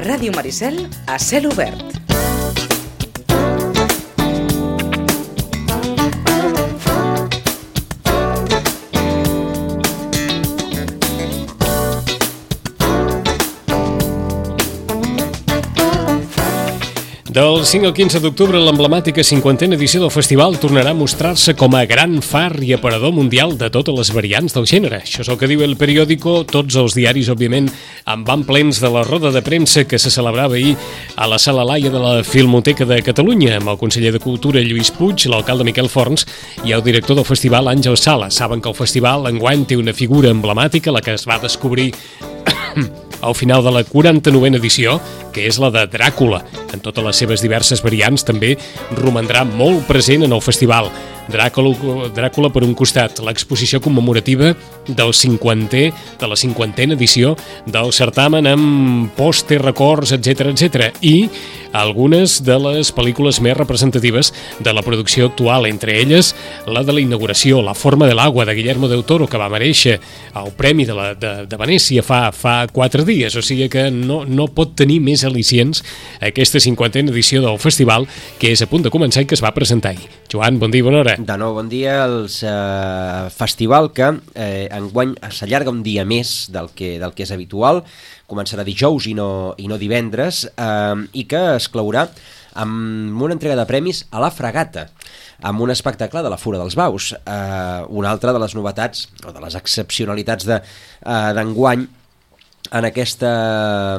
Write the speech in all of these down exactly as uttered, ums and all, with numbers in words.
Ràdio Maricel a cel obert. Del cinc al quinze d'octubre, l'emblemàtica cinquantena edició del festival tornarà a mostrar-se com a gran far i aparador mundial de totes les variants del gènere. Això és el que diu El Periódico. Tots els diaris, òbviament, en van plens de la roda de premsa que se celebrava ahir a la Sala Laia de la Filmoteca de Catalunya, amb el conseller de Cultura, Lluís Puig, l'alcalde Miquel Forns i el director del festival, Àngel Sala. Saben que el festival enguany té una figura emblemàtica, la que es va descobrir al final de la quaranta-novena edició, que és la de Dràcula. En totes les seves diverses variants també romandrà molt present en el festival. Dràcula, Dràcula per un costat, l'exposició commemorativa del cinquantè, de la cinquantena edició del certamen amb pòster, records, etcètera, etcètera, i algunes de les pel·lícules més representatives de la producció actual, entre elles la de la inauguració, La forma de l'agua, de Guillermo del Toro, que va merèixer el Premi de, la, de, de Venècia fa, fa quatre dies, o sigui que no, no pot tenir més al·licients aquesta cinquantena edició del festival, que és a punt de començar i que es va presentar ahir. Joan, bon dia, bona hora. De nou, bon dia. El eh, festival que eh, enguany s'allarga un dia més del que, del que és habitual, començarà dijous i no, i no divendres, eh, i que es claurà amb una entrega de premis a la Fragata, amb un espectacle de la Fura dels Baus. Eh, una altra de les novetats, o de les excepcionalitats de, eh, d'enguany, en aquesta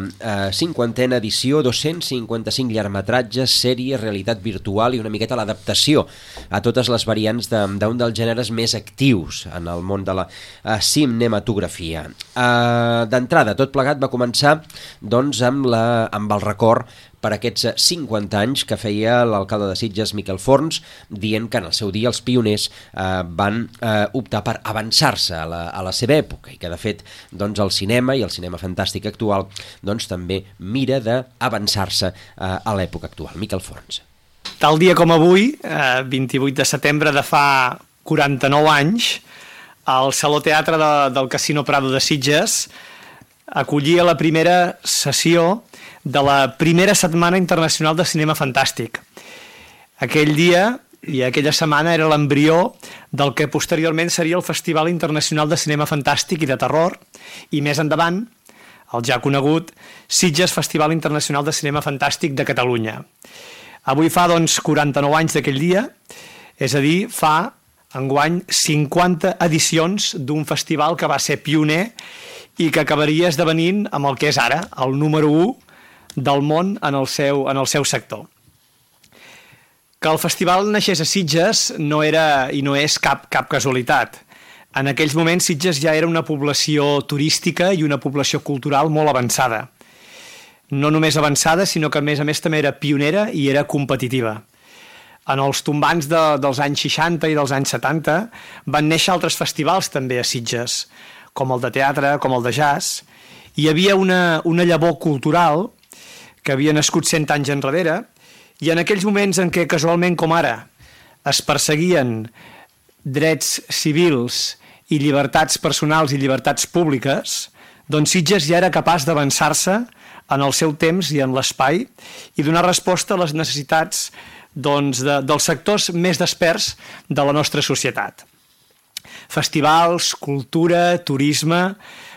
eh, cinquantena edició, dos-cents cinquanta-cinc llargmetratges, sèries, realitat virtual i una miqueta l'adaptació a totes les variants d'un de, dels gèneres més actius en el món de la eh, cinematografia. Eh, D'entrada, tot plegat va començar doncs, amb, la, amb el record per aquests cinquanta anys que feia l'alcalde de Sitges, Miquel Forns, dient que en el seu dia els pioners eh, van eh, optar per avançar-se a, la, a la seva època i que de fet doncs, el cinema i el cinema fantàstic actual doncs, també mira d'avançar-se eh, a l'època actual. Miquel Forns. Tal dia com avui, eh, vint-i-vuit de setembre de fa quaranta-nou anys, el Saló Teatre de, del Casino Prado de Sitges acollia la primera sessió de la primera setmana internacional de cinema fantàstic. Aquell dia i aquella setmana era l'embrió del que posteriorment seria el Festival Internacional de Cinema Fantàstic i de Terror, i més endavant, el ja conegut Sitges Festival Internacional de Cinema Fantàstic de Catalunya. Avui fa, doncs, quaranta-nou anys d'aquell dia, és a dir, fa, enguany, cinquanta edicions d'un festival que va ser pioner i que acabaria esdevenint amb el que és ara, el número u del món en el seu, en el seu sector. Que el festival naixés a Sitges no era i no és cap, cap casualitat. En aquells moments Sitges ja era una població turística i una població cultural molt avançada. No només avançada, sinó que a més a més també era pionera i era competitiva. En els tombants de, dels anys seixanta i dels anys setanta van néixer altres festivals també a Sitges, com el de teatre, com el de jazz. Hi havia una, una llavor cultural que havia nascut cent anys enrere, i en aquells moments en què casualment com ara es perseguien drets civils i llibertats personals i llibertats públiques, doncs Sitges ja era capaç d'avançar-se en el seu temps i en l'espai i donar resposta a les necessitats doncs, de, dels sectors més desperts de la nostra societat. Festivals, cultura, turisme,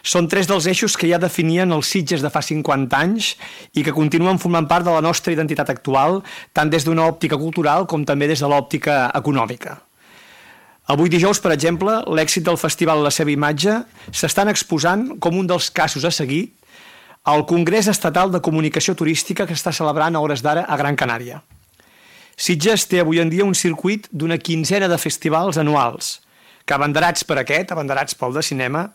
són tres dels eixos que ja definien els Sitges de fa cinquanta anys i que continuen formant part de la nostra identitat actual, tant des d'una òptica cultural com també des de l'òptica econòmica. Avui dijous, per exemple, l'èxit del festival i la seva imatge s'estan exposant com un dels casos a seguir al Congrés Estatal de Comunicació Turística que està celebrant a hores d'ara a Gran Canària. Sitges té avui en dia un circuit d'una quinzena de festivals anuals que, abanderats per aquest, abanderats pel de cinema,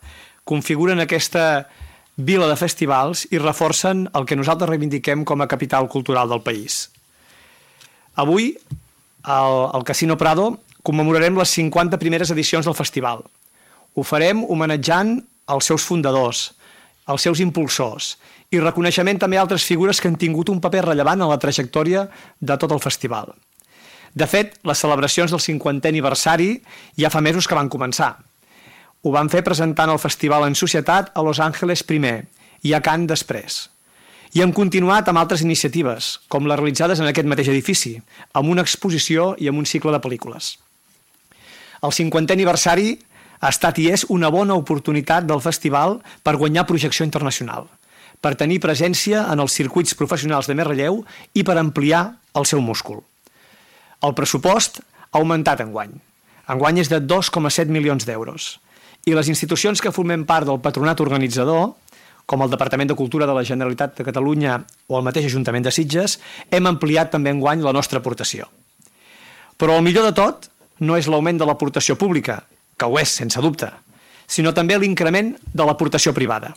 configuren aquesta vila de festivals i reforcen el que nosaltres reivindiquem com a capital cultural del país. Avui, al, al Casino Prado, commemorarem les cinquanta primeres edicions del festival. Ho farem homenatjant els seus fundadors, els seus impulsors, i reconeixement també a altres figures que han tingut un paper rellevant en la trajectòria de tot el festival. De fet, les celebracions del cinquantè aniversari ja fa mesos que van començar. Ho van fer presentant el festival en societat a Los Angeles primer i a Cannes després. I hem continuat amb altres iniciatives, com les realitzades en aquest mateix edifici, amb una exposició i amb un cicle de pel·lícules. El cinquantè aniversari ha estat i és una bona oportunitat del festival per guanyar projecció internacional, per tenir presència en els circuits professionals de més relleu i per ampliar el seu múscul. El pressupost ha augmentat enguany. Enguany és de dos coma set milions d'euros. I les institucions que formem part del patronat organitzador, com el Departament de Cultura de la Generalitat de Catalunya o el mateix Ajuntament de Sitges, hem ampliat també enguany la nostra aportació. Però el millor de tot no és l'augment de l'aportació pública, que ho és, sense dubte, sinó també l'increment de l'aportació privada.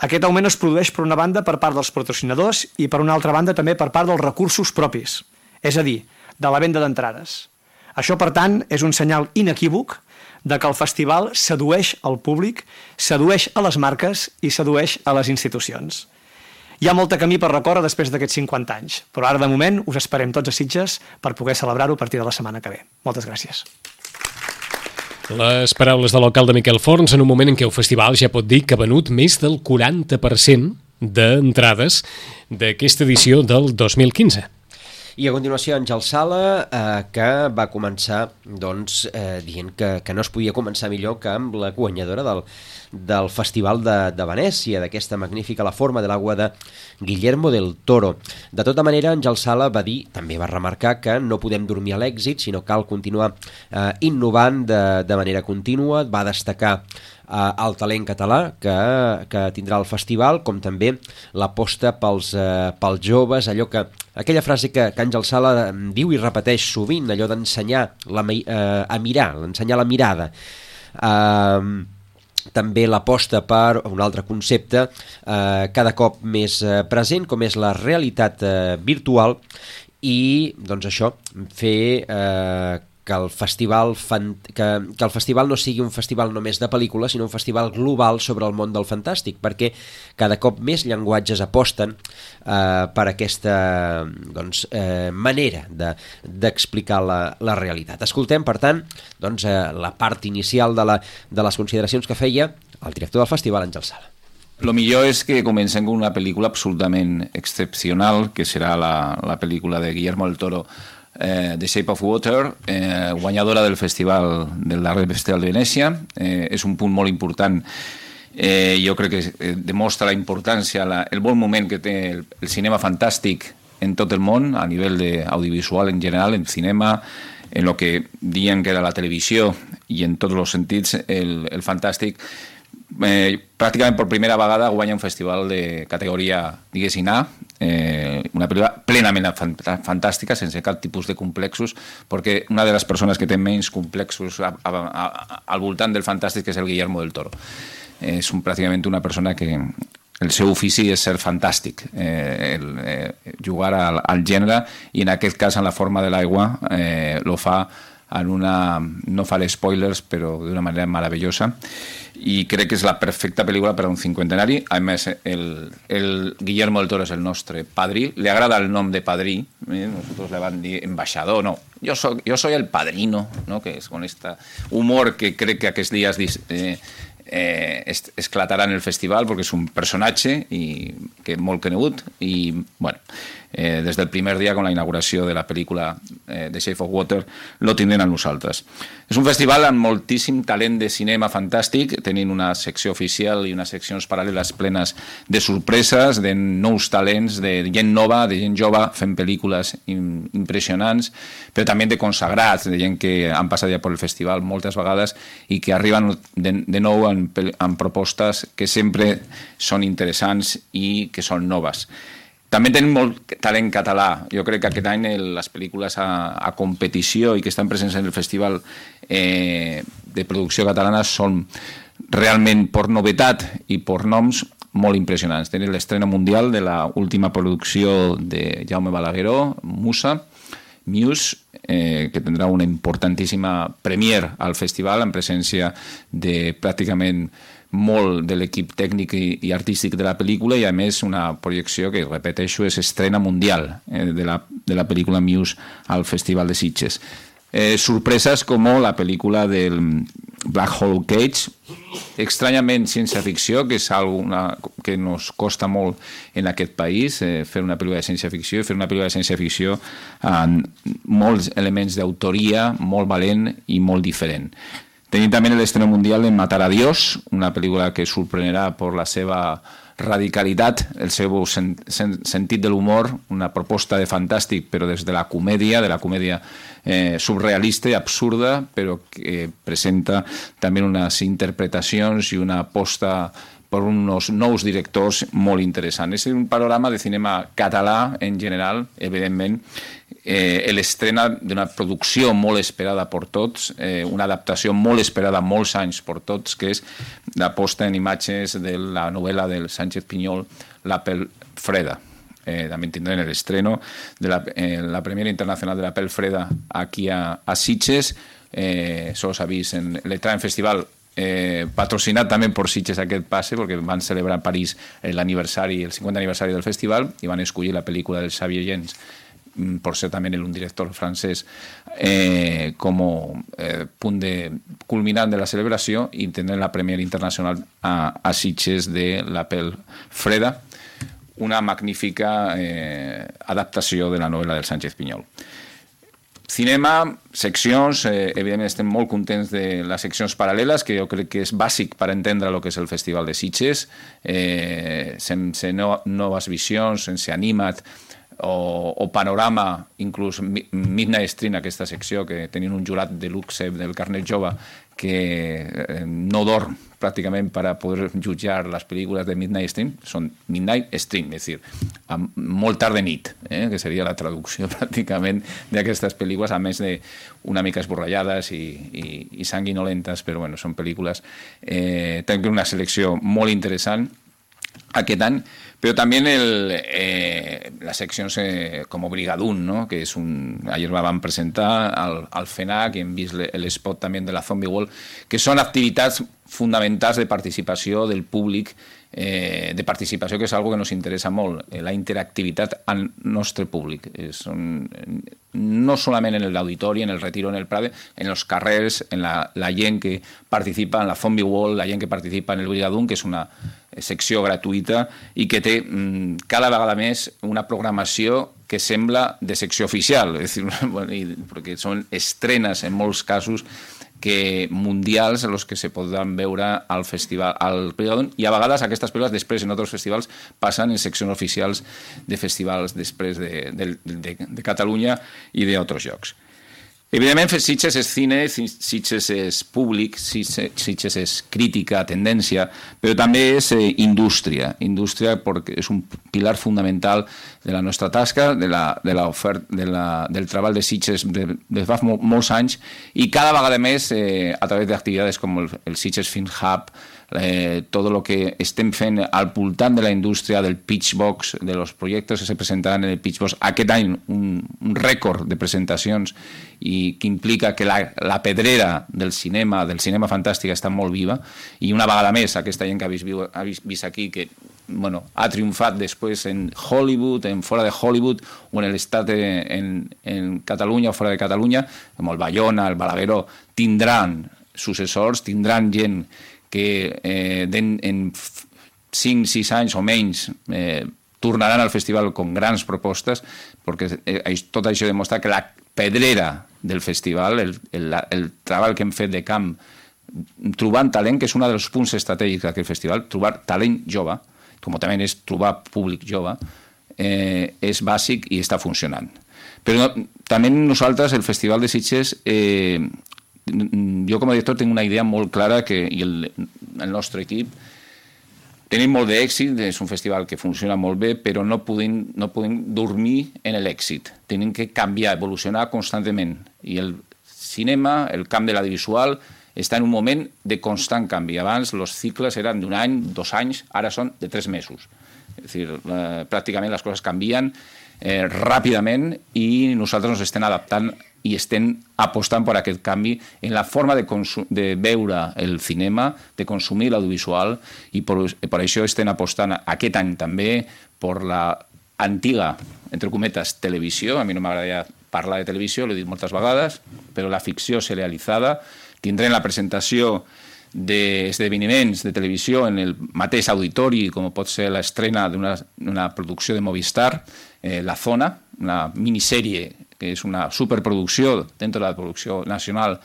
Aquest augment es produeix per una banda per part dels patrocinadors i per una altra banda també per part dels recursos propis, és a dir, de la venda d'entrades. Això, per tant, és un senyal inequívoc de que el festival sedueix al públic, sedueix a les marques i sedueix a les institucions. Hi ha molt de camí per recórrer després d'aquests cinquanta anys, però ara, de moment, us esperem tots a Sitges per poder celebrar-ho a partir de la setmana que ve. Moltes gràcies. Les paraules de l'alcalde Miquel Forns en un moment en què el festival ja pot dir que ha venut més del quaranta per cent d'entrades d'aquesta edició del dos mil quinze. I a continuació Àngel Sala, eh, que va començar doncs, eh, dient que, que no es podia començar millor que amb la guanyadora del, del Festival de, de Venècia, d'aquesta magnífica La forma de l'agua de Guillermo del Toro. De tota manera, Àngel Sala va dir, també va remarcar que no podem dormir a l'èxit, sinó cal continuar eh, innovant de, de manera contínua. Va destacar el talent català que, que tindrà el festival, com també l'aposta pels, eh, pels joves, allò que, aquella frase que, que Àngel Sala diu i repeteix sovint, allò d'ensenyar la, eh, a mirar, ensenyar la mirada. Eh, també l'aposta per un altre concepte eh, cada cop més eh, present, com és la realitat eh, virtual, i doncs això, fer eh, que el festival fan, que, que el festival no sigui un festival només de pel·lícules, sinó un festival global sobre el món del fantàstic, perquè cada cop més llenguatges aposten eh, per aquesta doncs, eh, manera de, d'explicar la, la realitat. Escoltem, per tant, doncs, eh, la part inicial de, la, de les consideracions que feia el director del festival, Àngel Sala. Lo millor és que comencem amb una pel·lícula absolutament excepcional, que serà la, la pel·lícula de Guillermo del Toro, Eh, The Shape of Water, eh, guanyadora del festival del darrer Festival de Venècia. Eh, és un punt molt important. Eh, jo crec que eh, demostra la importància, la, el bon moment que té el, el cinema fantàstic en tot el món, a nivell de audiovisual en general, en cinema, en lo que diuen que era la televisió i en tots els sentits el, el fantàstic. Eh, pràcticament per primera vegada guanya un festival de categoria, diguéssim, A, eh, una pel·lícula plenament fantàstica, sense cap tipus de complexos, perquè una de les persones que té menys complexos a, a, a, al voltant del fantàstic és el Guillermo del Toro. Eh, és un, pràcticament una persona que el seu ofici és ser fantàstic, eh, el, eh, jugar al, al gènere, i en aquest cas, en La forma de l'aigua, eh, lo fa en una, no faré spoilers, però d'una manera meravellosa, i crec que és la perfecta pel·lícula per a un cinquantenari. A més, el, el Guillermo del Toro és el nostre padrí, le agrada el nom de padrí, eh? Nosotros le van a dir embajador, no, yo soy, yo soy el padrino, ¿no? Que es con este humor que crec que aquests dies eh, eh, esclatarà en el festival, perquè és un personatge i que molt conegut, i bueno, eh, des del primer dia, con la inauguració de la pel·lícula eh, The Shape of Water, lo tindrem a nosaltres. És un festival amb moltíssim talent de cinema fantàstic, tenint una secció oficial i unes seccions paral·leles plenes de sorpreses, de nous talents, de gent nova, de gent jove fent pel·lícules impressionants, però també de consagrats, de gent que han passat ja per el festival moltes vegades i que arriben de, de nou amb, amb propostes que sempre són interessants i que són noves. També tenim molt talent català. Jo crec que aquest any les pel·lícules a, a competició i que estan presents en el festival eh, de producció catalana són realment, per novetat i per noms, molt impressionants. Tenim l'estrena mundial de l'última producció de Jaume Balagueró, Musa, Muse, eh, que tindrà una importantíssima premier al festival en presència de pràcticament molt de l'equip tècnic i, i artístic de la pel·lícula, i a més una projecció que, repeteixo, és estrena mundial eh, de, la, de la pel·lícula Muse al Festival de Sitges. Eh, sorpreses com la pel·lícula del Black Hole Cage, estranyament ciència-ficció, que és una que nos costa molt en aquest país, eh, fer una pel·lícula de ciència-ficció, i fer una pel·lícula de ciència-ficció amb molts elements d'autoria, molt valent i molt diferent. Tenim també l'estreno mundial de Matar a Dios, una pel·lícula que sorprenderà per la seva radicalitat, el seu sen sen sentit de l'humor, una proposta de fantàstic, però des de la comèdia, de la comèdia eh, surrealista i absurda, però que presenta també unes interpretacions i una aposta per uns nous directors molt interessants. És un panorama de cinema català en general, evidentment, eh, l'estrena d'una producció molt esperada per tots, eh, una adaptació molt esperada molts anys per tots, que és la posta en imatges de la novel·la del Sánchez Pinyol, La Pel Freda. Eh, també tindrem l'estreno de la, eh, la Premiera Internacional de La Pel Freda aquí a, a Sitges. Eh, Això s'ha vist en l'Etraen Festival, Eh, patrocinat també per Sitges aquest passe, perquè van celebrar a París l'aniversari, el cinquanta aniversari del festival, i van escollir la pel·lícula del Xavier Gens, por ser també un director francès, eh, com eh, punt de culminant de la celebració, i tindrem la Premiera Internacional a, a Sitges de La Pel Freda, una magnífica eh, adaptació de la novel·la del Sánchez Pinyol. Cinema, seccions, eh, evidentment estem molt contents de les seccions paral·leles, que jo crec que és bàsic per entendre el que és el Festival de Sitges, eh, sense no, noves visions, sense Anima't o, o Panorama, inclús Midnight Stream, aquesta secció, que tenien un jurat de luxe del carnet jove que eh, no dorm pràcticament per a poder jutjar les pel·lícules de Midnight Stream, són Midnight Stream, és a dir, molt tard de nit, eh, que seria la traducció pràcticament d'aquestes pel·lícules, a més de una mica esborrallades i, i, i sanguinolentes, però bueno, són pel·lícules. Eh, tenim una selecció molt interessant aquest any, però també el, eh, les seccions eh, com Brigadún, no? Que és un... Ayer la van presentar al, al FENAC, i hem vist l'espot també de la Zombie Wall, que són activitats fonamentals de participació del públic, eh, de participació, que és una que ens interessa molt, eh, la interactivitat al nostre públic. Eh, són, no solament en l'auditori, en el Retiro, en el Prade, en els carrers, en la, la gent que participa en la Zombie Wall, la gent que participa en el Brigadún, que és una secció gratuïta i que té mm, cada vegada més una programació que sembla de secció oficial, és a dir, bueno, i, perquè són estrenes en molts casos que mundials en els que se podran veure al festival, al Brigadún, i a vegades aquestes pel·lícules després en altres festivals passen en seccions oficials de festivals després de, de, de, de Catalunya i d'altres llocs. Evidentment, Sitges és cine, Sitges és públic, Sitges és crítica, tendència, però també és eh, indústria. Indústria perquè és un pilar fundamental de la nostra tasca, de la, de la ofert, de la, del treball de Sitges des de fa mol, molts anys, i cada vegada més eh, a través d'activitats com el, el Sitges Film Hub, Eh, tot el que estem fent al voltant de la indústria del Pitchbox, de los projectes que se presentaran en el Pitchbox. Aquest any un, un rècord de presentacions, i que implica que la, la pedrera del cinema, del cinema fantàstic, està molt viva, i una vegada més aquesta gent que ha vist, ha vist, vist aquí, que bueno, ha triomfat després en Hollywood, en fora de Hollywood, o en l'estat en, en Catalunya o fora de Catalunya, com el Bayona, el Balagueró, tindran successors, tindran gent que eh, en, en cinc sis anys o menys eh, tornaran al festival amb grans propostes, perquè eh, tot això demostra que la pedrera del festival, el, el, el treball que hem fet de camp, trobant talent, que és un dels punts estratègics d'aquest festival, trobar talent jove, com també és trobar públic jove, eh, és bàsic i està funcionant. Però no, també nosaltres, el Festival de Sitges, eh, jo com a director tinc una idea molt clara, que, i el, el nostre equip tenim molt d'èxit, és un festival que funciona molt bé, però no podem, no podem dormir en l'èxit. Tenim que canviar, evolucionar constantment. I el cinema, el camp de l'audiovisual, està en un moment de constant canvi. Abans els cicles eren d'un any, dos anys, ara són de tres mesos. És a dir, eh, pràcticament les coses canvien eh, ràpidament, i nosaltres ens estem adaptant i estem apostant per aquest canvi en la forma de, de veure el cinema, de consumir l'audiovisual, i per, per això estem apostant aquest any també per la antiga, entre cometes, televisió. A mi no m'agradaria parlar de televisió, l'he dit moltes vegades, però la ficció serialitzada. Tindrem la presentació d'esdeveniments de televisió en el mateix auditori, com pot ser l'estrena d'una producció de Movistar, eh, La Zona, una minissèrie que és una superproducció dentro de la producció nacional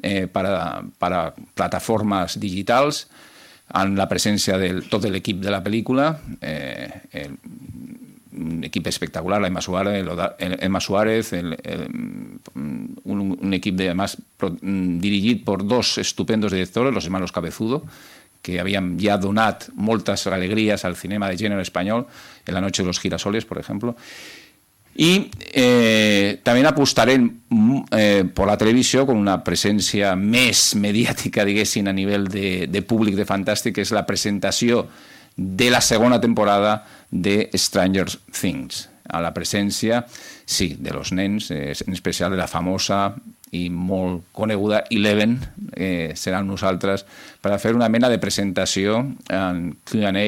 eh, para, para plataformes digitals, amb la presència de tot l'equip de la pel·lícula, eh, el, un equip espectacular, la Emma Suárez, el, Emma Suárez el, el, un, un equip de, además, pro, dirigit por dos estupendos directores, los hermanos Cabezudo, que habían ya donat moltes alegrías al cinema de género español, en La noche de los girasoles, por ejemplo. Y eh, también apostaré eh, por la televisió con una presència més mediàtica, diguéssim, a nivell de, de públic de Fantàstic, que és la presentació de la segona temporada de Stranger Things. A la presència, sí, de los nens, eh, en especial de la famosa i molt coneguda Eleven, eh, seran nosaltres, per a fer una mena de presentació en Q and A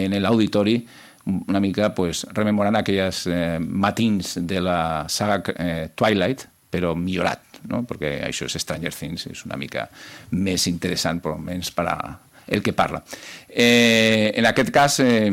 en l'auditori, una mica pues, rememorant aquells eh, matins de la saga eh, Twilight, però millorat, no? Perquè això és Stranger Things, és una mica més interessant, però menys per a el que parla. Eh, en aquest cas, eh,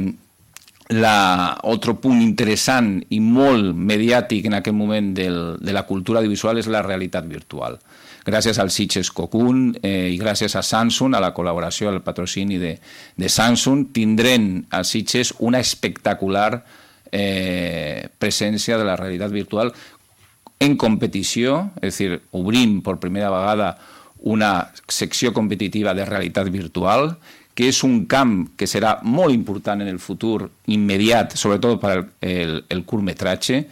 la, otro punt interessant i molt mediàtic en aquest moment del, de la cultura audiovisual és la realitat virtual. Gràcies al Sitges Cocoon eh, i gràcies a Samsung, a la col·laboració, al patrocini de, de Samsung, tindrem a Sitges una espectacular eh, presència de la realitat virtual en competició, és a dir, obrim per primera vegada una secció competitiva de realitat virtual, que és un camp que serà molt important en el futur immediat, sobretot per el, el, el curtmetratge.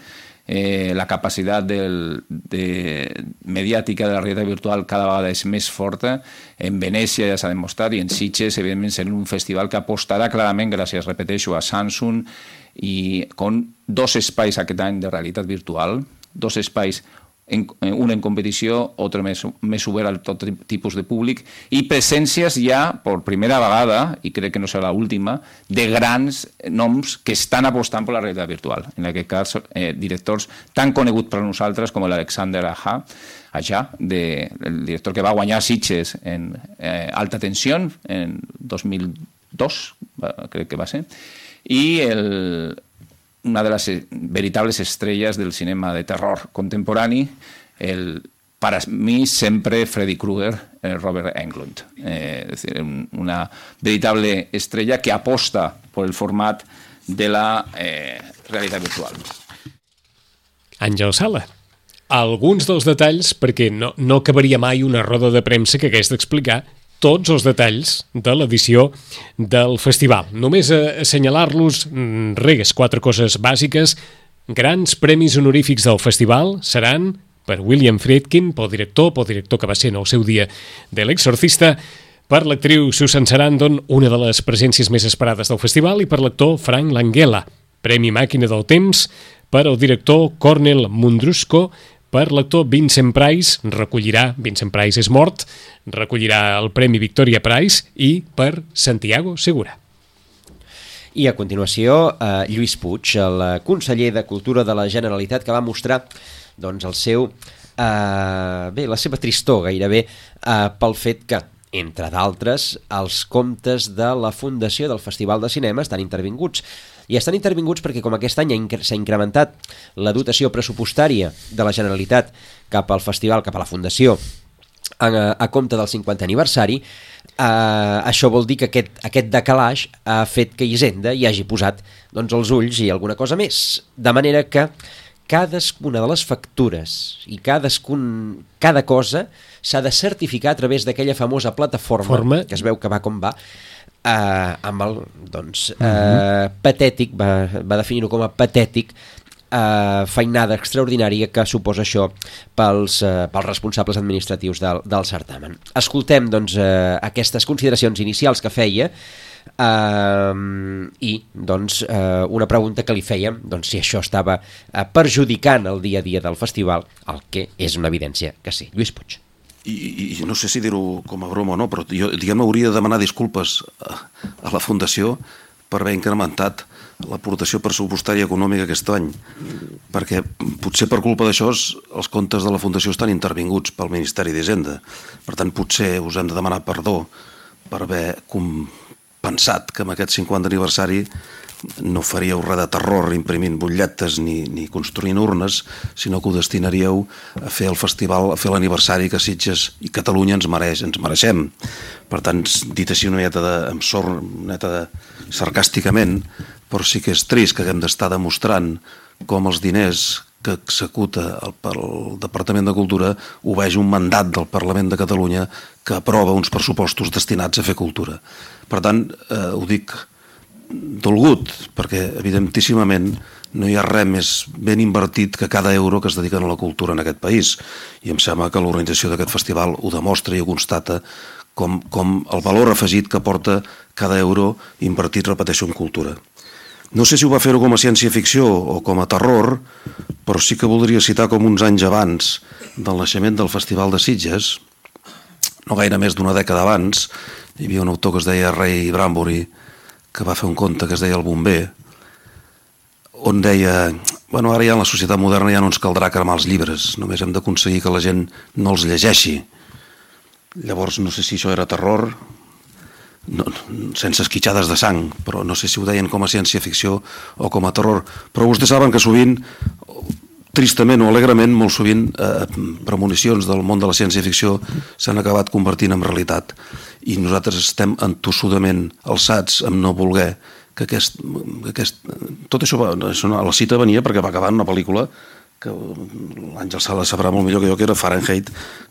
Eh, la capacitat del, de, mediàtica de la realitat virtual cada vegada és més forta. En Venècia ja s'ha demostrat i en Sitges, evidentment, serà un festival que apostarà clarament, gràcies, repeteixo, a Samsung, i con dos espais aquest any de realitat virtual, dos espais, en, un en competició, altre més, més obert a tot tipus de públic, i presències ja, per primera vegada, i crec que no serà l'última, de grans noms que estan apostant per la realitat virtual. En aquest cas, eh, directors tan coneguts per nosaltres com l'Alexander Aja, Aja de, el director que va guanyar Sitges en eh, Alta Tensió en dos mil dos, crec que va ser, i el una de les veritables estrelles del cinema de terror contemporani, el, para mi sempre Freddy Krueger, el Robert Englund. Eh, es decir, una veritable estrella que aposta por el format de la eh, realitat virtual. Àngel Sala, alguns dels detalls, perquè no, no acabaria mai una roda de premsa que hagués d'explicar tots els detalls de l'edició del festival. Només assenyalar-los res, quatre coses bàsiques. Grans premis honorífics del festival seran per William Friedkin, pel director, pel director que va ser en el seu dia de L'Exorcista, per l'actriu Susan Sarandon, una de les presències més esperades del festival, i per l'actor Frank Langella, Premi Màquina del Temps, per al director Cornel Mundrusco, per l'actor Vincent Price, recollirà, Vincent Price és mort, recollirà el Premi Victoria Prize, i per Santiago Segura. I a continuació, eh, Lluís Puig, el conseller de Cultura de la Generalitat, que va mostrar doncs, el seu, eh, bé, la seva tristor gairebé eh, pel fet que, entre d'altres, els comptes de la Fundació del Festival de Cinema estan intervinguts. I estan intervinguts perquè, com aquest any s'ha incrementat la dotació pressupostària de la Generalitat cap al festival, cap a la Fundació, a, a compte del cinquantè aniversari, eh, això vol dir que aquest, aquest decalaix ha fet que Hisenda hi hagi posat doncs, els ulls i alguna cosa més. De manera que cadascuna de les factures i cadascun, cada cosa s'ha de certificar a través d'aquella famosa plataforma Forma. que es veu que va com va, Uh, amb el, doncs, uh, uh-huh. patètic, va, va definir-ho com a patètic, uh, feinada extraordinària que suposa això pels, uh, pels responsables administratius del, del certamen. Escoltem doncs, uh, aquestes consideracions inicials que feia uh, i doncs, uh, una pregunta que li fèiem, doncs, si això estava uh, perjudicant el dia a dia del festival, el que és una evidència que sí. Lluís Puig. I, i no sé si dir-ho com a broma o no, però jo, diguem, hauria de demanar disculpes a, a la Fundació per haver incrementat l'aportació pressupostària econòmica aquest any, perquè potser per culpa d'això els comptes de la Fundació estan intervinguts pel Ministeri d'Hisenda. Per tant, potser us hem de demanar perdó per haver pensat que amb aquest cinquanta aniversari no faríeu res de terror imprimint butlletes ni, ni construint urnes, sinó que ho destinaríeu a fer el festival, a fer l'aniversari que Sitges i Catalunya ens mereix, ens mereixem. Per tant, dit així una mieta de, amb sort, una mieta de, sarcàsticament, però sí que és trist que haguem d'estar demostrant com els diners que executa el, el Departament de Cultura obeeix un mandat del Parlament de Catalunya que aprova uns pressupostos destinats a fer cultura. Per tant, eh, ho dic dolgut, perquè evidentíssimament no hi ha res més ben invertit que cada euro que es dediquen a la cultura en aquest país, i em sembla que l'organització d'aquest festival ho demostra i ho constata com, com el valor afegit que porta cada euro invertit, repeteixo, en cultura. No sé si ho va fer-ho com a ciència-ficció o com a terror, però sí que voldria citar com uns anys abans del naixement del Festival de Sitges, no gaire més d'una dècada abans, hi havia un autor que es deia Ray Bradbury, que va fer un conte que es deia El bomber, on deia, bueno, ara ja en la societat moderna ja no ens caldrà cremar els llibres, només hem d'aconseguir que la gent no els llegeixi. Llavors no sé si això era terror, no, sense esquitxades de sang, però no sé si ho deien com a ciència-ficció o com a terror. Però vostès saben que sovint, tristament o alegrement, molt sovint eh, premonicions del món de la ciència-ficció s'han acabat convertint en realitat, i nosaltres estem entossudament alçats amb no voler que aquest... Que aquest tot això, va, això, la cita venia perquè va acabar en una pel·lícula que l'Àngel Sala sabrà molt millor que jo, que era Fahrenheit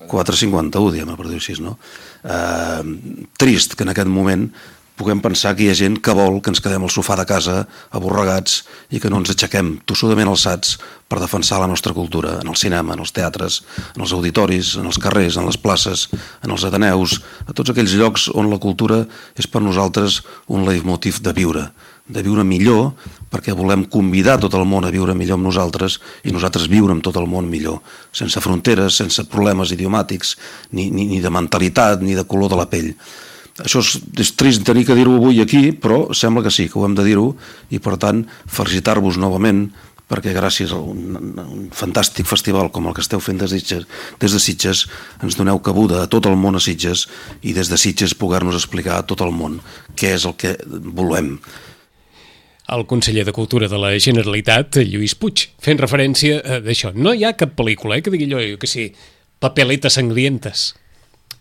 quatre cinquanta u, diguem-ne, per dir-ho així, no? Eh, trist que en aquest moment puguem pensar que hi ha gent que vol que ens quedem al sofà de casa aborregats i que no ens aixequem tossudament alçats per defensar la nostra cultura en el cinema, en els teatres, en els auditoris, en els carrers, en les places, en els ateneus, a tots aquells llocs on la cultura és per nosaltres un leitmotiv de viure, de viure millor, perquè volem convidar tot el món a viure millor amb nosaltres i nosaltres viure amb tot el món millor, sense fronteres, sense problemes idiomàtics, ni, ni, ni de mentalitat, ni de color de la pell. Això és, és trist tenir que dir-ho avui aquí, però sembla que sí, que ho hem de dir-ho, i per tant felicitar-vos novament perquè gràcies a un, un fantàstic festival com el que esteu fent des de, Sitges, des de Sitges ens doneu cabuda a tot el món a Sitges i des de Sitges poder-nos explicar a tot el món què és el que volem. El conseller de Cultura de la Generalitat, Lluís Puig, fent referència a d'això. No hi ha cap pel·lícula, eh, que digui allò, que sí, papeletes sangrientes,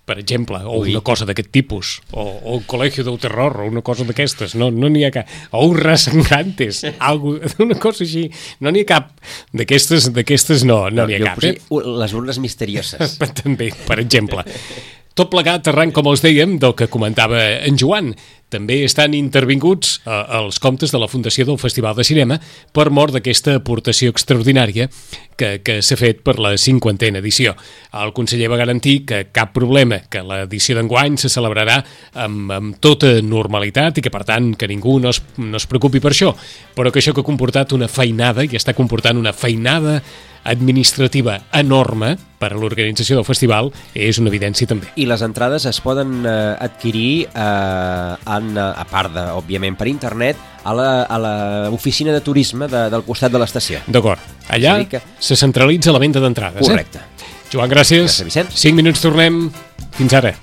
per exemple, o Ui. una cosa d'aquest tipus, o, o el Col·legio del Terror, o una cosa d'aquestes, no no n'hi ha cap, o Urras Sangrantes, algo, una cosa així, no n'hi ha cap d'aquestes, d'aquestes no, no, no n'hi ha cap. Eh? Les urnes misterioses. També, per exemple. Tot plegat arran, com els dèiem, del que comentava en Joan. També estan intervinguts eh, els comptes de la Fundació del Festival de Cinema per mort d'aquesta aportació extraordinària que, que s'ha fet per la cinquantena edició. El conseller va garantir que cap problema, que l'edició d'enguany se celebrarà amb, amb tota normalitat i que, per tant, que ningú no es, no es preocupi per això, però que això que ha comportat una feinada i està comportant una feinada administrativa enorme per a l'organització del festival és una evidència també. I les entrades es poden eh, adquirir eh, en, a part de, òbviament, per internet a l'oficina de turisme de, del costat de l'estació. D'acord. Allà que... se centralitza la venda d'entrades. Correcte. Eh? Joan, gràcies. Gràcies, Vicent. cinc minuts tornem. Fins ara.